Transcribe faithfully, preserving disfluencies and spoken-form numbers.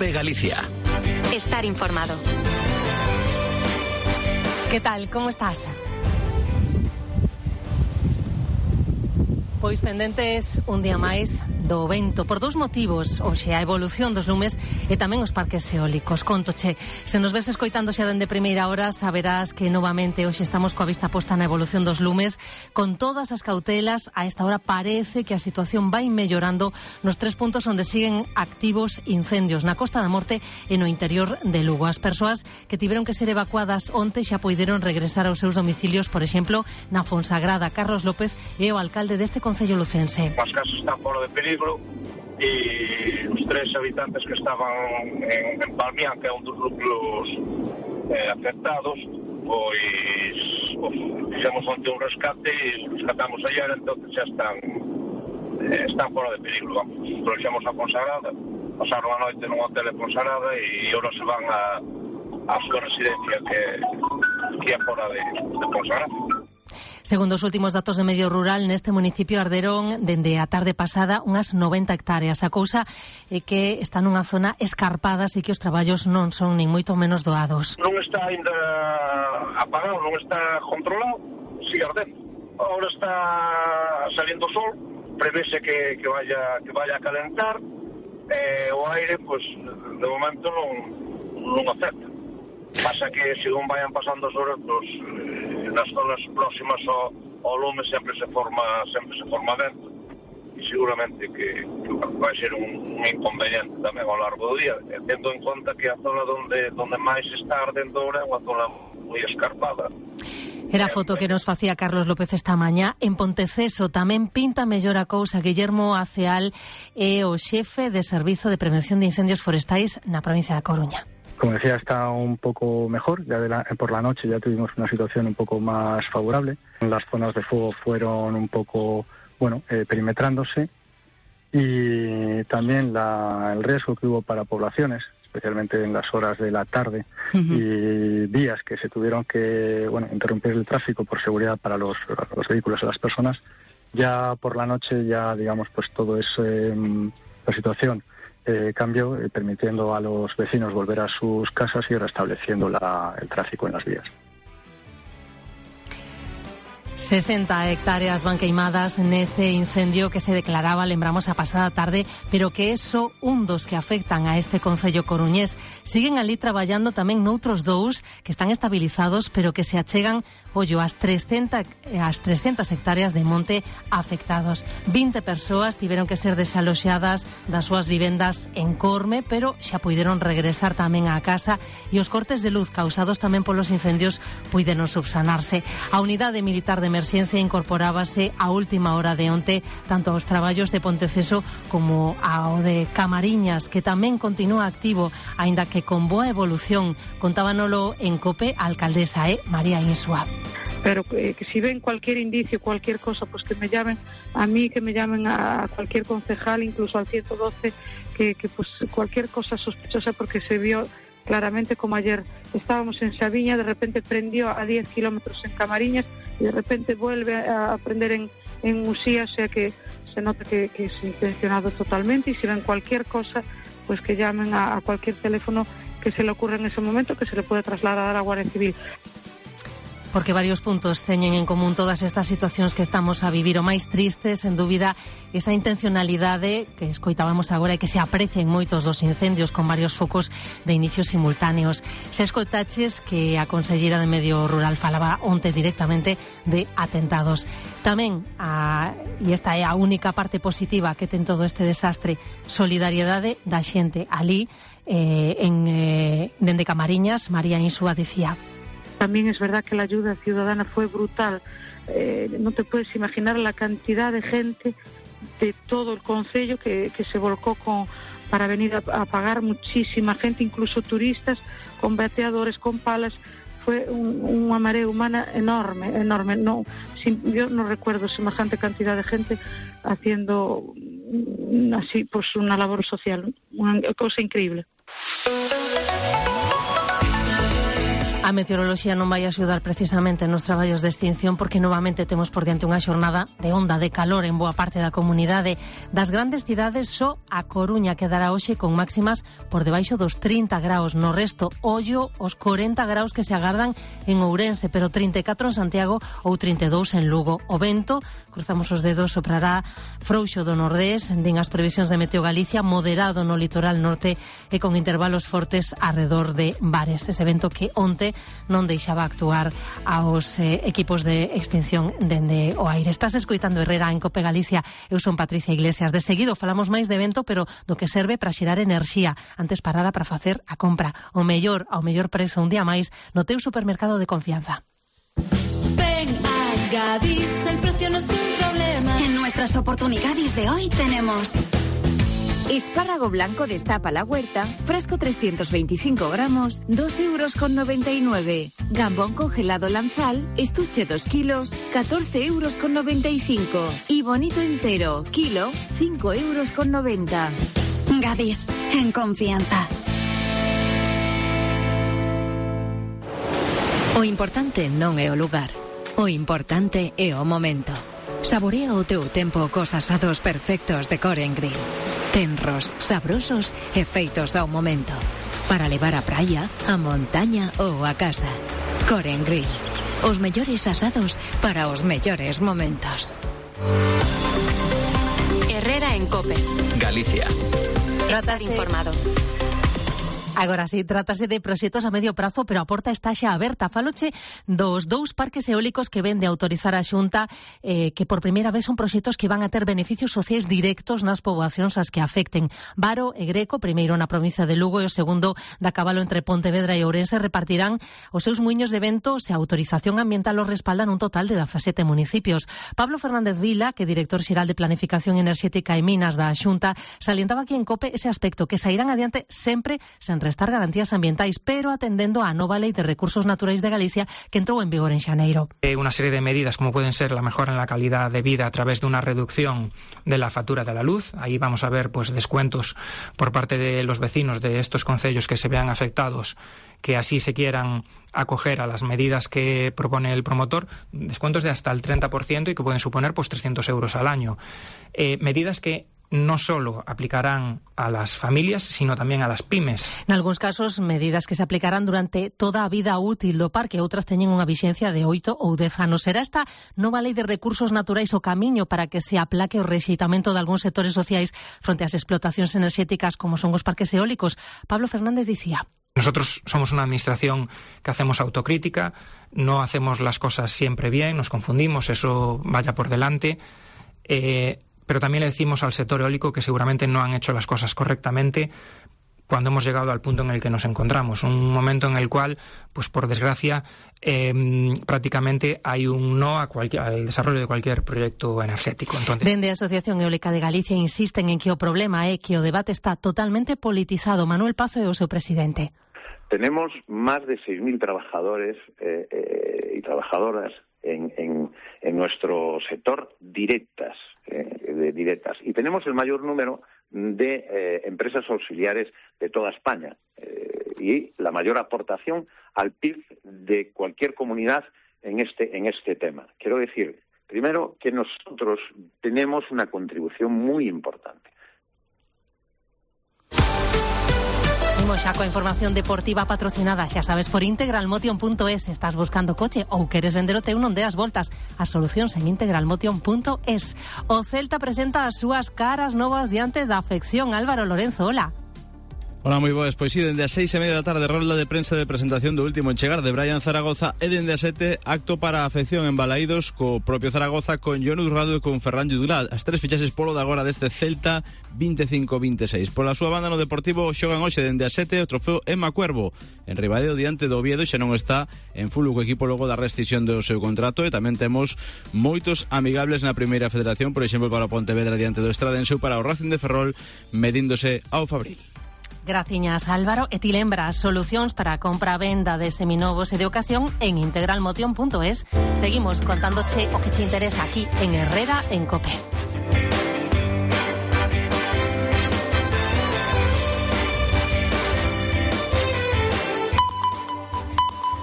COPE Galicia. Estar informado. ¿Qué tal? ¿Cómo estás? Pois pendentes un día máis do vento por dous motivos, hoxe a evolución dos lumes e tamén os parques eólicos. Contoche, se nos ves escoitando xa dende primeira hora, saberás que novamente hoxe estamos coa vista posta na evolución dos lumes. Con todas as cautelas, a esta hora parece que a situación vai mellorando nos tres puntos onde siguen activos incendios, na Costa da Morte e no interior de Lugo. As persoas que tiveron que ser evacuadas onte xa poideron regresar aos seus domicilios, por exemplo, na Fonsagrada. Carlos López é o alcalde deste concello lucense. As casas están fora de peligro e os tres habitantes que estaban en, en Palmián, que é un dos núcleos eh, afectados, pois pues, fixemos onte un rescate e rescatamos ayer, entón xa están eh, están fora de peligro. Vamos, trouxemos a Fonsagrada, pasaron a noite nun hotel de Fonsagrada e agora se van a, a súa residencia que, que é fora de, de Fonsagrada. Segundo os últimos datos de Medio Rural, neste municipio arderon dende a tarde pasada unhas noventa hectáreas. A cousa é que está nunha zona escarpada, así que os traballos non son nin moito menos doados. Non está ainda apagado, non está controlado, sigue ardendo. Ahora está saliendo o sol, prevese que, que vaya que vaya a calentar, eh, o aire, pues, de momento non, non afecta. Pasa que, según vayan pasando as horas, pues, eh, nas zonas próximas ao, ao lume sempre se forma sempre se forma vento e seguramente que, que vai ser un, un inconveniente tamén ao largo do día, tendo en conta que a zona donde, donde máis está ardendo ahora é unha zona moi escarpada. Era a foto que nos facía Carlos López esta mañá. En Ponteceso tamén pinta mellor a cousa. Guillermo Aceal é o xefe de Servizo de Prevención de Incendios Forestais na provincia da Coruña. Como decía, está un poco mejor. Ya de la, por la noche ya tuvimos una situación un poco más favorable. Las zonas de fuego fueron un poco, bueno, eh, perimetrándose. Y también la, el riesgo que hubo para poblaciones, especialmente en las horas de la tarde, uh-huh. y días que se tuvieron que, bueno, interrumpir el tráfico por seguridad para los, los vehículos y las personas. Ya por la noche, ya digamos, pues todo es eh, la situación. Eh, cambió, eh, permitiendo a los vecinos volver a sus casas y restableciendo la, el tráfico en las vías. sesenta hectáreas van queimadas neste incendio que se declaraba, lembramos, a pasada tarde, pero que é só un dos que afectan a este concello coruñés. Siguen ali traballando tamén noutros dous que están estabilizados, pero que se achegan, ollo, as trescentas, as trescentas hectáreas de monte afectados. vinte persoas tiveron que ser desaloxadas das súas vivendas en Corme, pero xa puideron regresar tamén á casa e os cortes de luz causados tamén polos incendios puideron subsanarse. A unidade militar de emerxencia incorporábase a última hora de onte tanto aos traballos de Ponteceso como ao de Camariñas, que tamén continúa activo, aínda que con boa evolución. Contábanolo en COPE a alcaldesa, eh, María Insua. Pero eh, que si ven cualquier indicio, cualquier cosa, pues que me llamen a mí, que me llamen a cualquier concejal, incluso al ciento doce, que, que pues cualquier cosa sospechosa, porque se vio claramente como ayer estábamos en Sabiña, de repente prendió a diez kilómetros en Camariñas y de repente vuelve a prender en, en Usía, o sea que se nota que, que es intencionado totalmente. Y si ven cualquier cosa, pues que llamen a, a cualquier teléfono que se le ocurra en ese momento, que se le puede trasladar a Guardia Civil. Porque varios puntos teñen en común todas estas situacións que estamos a vivir. O máis triste, sen dúbida, esa intencionalidade que escoitábamos agora e que se aprecia en moitos dos incendios con varios focos de inicios simultáneos. Se escoitaches que a consellera de Medio Rural falaba onte directamente de atentados. Tamén, a, e esta é a única parte positiva que ten todo este desastre, solidariedade da xente. Ali, eh, en, eh, dende Camariñas, María Insua decía: también es verdad que la ayuda ciudadana fue brutal. Eh, no te puedes imaginar la cantidad de gente de todo el concello que, que se volcó con, para venir a, a pagar, muchísima gente, incluso turistas, con bateadores, con palas. Fue un, una marea humana enorme, enorme. No, sin, yo no recuerdo semejante cantidad de gente haciendo así pues una labor social, una cosa increíble. A meteoroloxía non vai axudar precisamente nos traballos de extinción porque novamente temos por diante unha xornada de onda de calor en boa parte da comunidade. Das grandes cidades, só a Coruña quedará hoxe con máximas por debaixo dos trinta graus. No resto, ollo os corenta graus que se agardan en Ourense, pero trinta e catro en Santiago ou trinta e dous en Lugo. O vento, cruzamos os dedos, soprará frouxo do nordés, din as previsións de Meteo Galicia, moderado no litoral norte e con intervalos fortes arredor de bares. Ese vento que onte non deixaba actuar aos eh, equipos de extinción dende o aire. Estás escoitando Herrera en Cope Galicia. Eu son Patricia Iglesias. De seguido falamos máis de vento, pero do que serve para xerar enerxía. Antes parada para facer a compra. O mellor, ao mellor prezo un día máis no teu supermercado de confianza. Ven a Gadis, el precio no es un problema. En nuestras oportunidades de hoy tenemos espárrago blanco destapa la huerta, fresco trescientos veinticinco gramos, dos euros con noventa y nueve. Gambón congelado Lanzal, estuche dos kilos, catorce euros con noventa y cinco. Y bonito entero, kilo, cinco euros con noventa. Gadis, en confianza. O importante non é o lugar, o importante é o momento. Saborea o teu tempo cos asados perfectos de Core and Grill. Tenros, sabrosos e feitos ao momento. Para levar a praia, a montaña ou a casa. Core and Grill. Os mellores asados para os mellores momentos. Herrera en Cope. Galicia. Estar informado. Agora sí, trátase de proxectos a medio prazo, pero a porta está xa aberta. Faloche dos dous parques eólicos que ven de autorizar a Xunta, eh, que por primeira vez son proxectos que van a ter beneficios sociais directos nas poboacións as que afecten. Varo e Greco, primeiro na provincia de Lugo e o segundo da Cabalo entre Pontevedra e Ourense, repartirán os seus muiños de vento se a autorización ambiental os respaldan un total de dezasete municipios. Pablo Fernández Vila, que é director xeral de Planificación Enerxética e Minas da Xunta, salientaba aquí en Cope ese aspecto, que sairán adiante sempre sen restar garantías ambientais, pero atendendo á nova Lei de Recursos Naturais de Galicia que entrou en vigor en xaneiro. Una serie de medidas como pueden ser la mejora en la calidad de vida a través de una reducción de la factura de la luz. Ahí vamos a ver pues descuentos por parte de los vecinos de estos concellos que se vean afectados, que así se quieran acoger a las medidas que propone el promotor, descuentos de hasta el treinta por ciento y que pueden suponer pues trescientos euros al año. Eh, medidas que no solo aplicarán a las familias, sino tamén a las pymes. En algúns casos, medidas que se aplicarán durante toda a vida útil do parque, outras teñen unha vixencia de oito ou dez anos. Será esta nova Lei de Recursos Naturais o camiño para que se aplaque o rexeitamento de algúns sectores sociais fronte ás explotacións enerxéticas como son os parques eólicos? Pablo Fernández dicía: Nosotros somos una administración que hacemos autocrítica, no hacemos las cosas siempre bien, nos confundimos, eso vaya por delante. Eh, Pero también le decimos al sector eólico que seguramente no han hecho las cosas correctamente cuando hemos llegado al punto en el que nos encontramos. Un momento en el cual, pues por desgracia, eh, prácticamente hay un no a cualquier, al desarrollo de cualquier proyecto energético. Entonces, Dende a Asociación Eólica de Galicia insisten en que o problema é que o debate está totalmente politizado. Manuel Pazo é o seu presidente. Tenemos más de seis mil trabajadores eh, eh, y trabajadoras en, en, en nuestro sector directas, eh, de directas. Y tenemos el mayor número de eh, empresas auxiliares de toda España eh, y la mayor aportación al P I B de cualquier comunidad en este, en este tema. Quiero decir, primero, que nosotros tenemos una contribución muy importante. Imos xa coa información deportiva patrocinada, xa sabes, por integralmotion punto es. Estás buscando coche ou queres vender o teu, non deas voltas. As solucións en integralmotion punto es. O Celta presenta as súas caras novas diante da afección. Álvaro Lorenzo, hola. Hola, moi boas. Pois si, dende as seis e media da tarde, rolda de prensa de presentación do último en chegar de Brian Zaragoza, e dende as sete, acto para a afección en Balaídos co propio Zaragoza, con Jon Urrado e con Ferran Lludulat. As tres fichaxes polo de agora deste Celta vinte e cinco vinte e seis. Pola súa banda no Deportivo xogan hoxe dende as sete o trofeo Emma Cuervo en Ribadeo diante do Oviedo, xa non está en full o equipo logo da rescisión do seu contrato, e tamén temos moitos amigables na primeira federación, por exemplo para o Pontevedra diante do Estradense ou para o Racing de Ferrol medíndose ao Fabril. Graciñas, Álvaro. E ti lembras solucións para a compra e venda de seminovos e de ocasión en integralmotion punto es. Seguimos contándoche o que te interesa aquí en Herrera en Cope.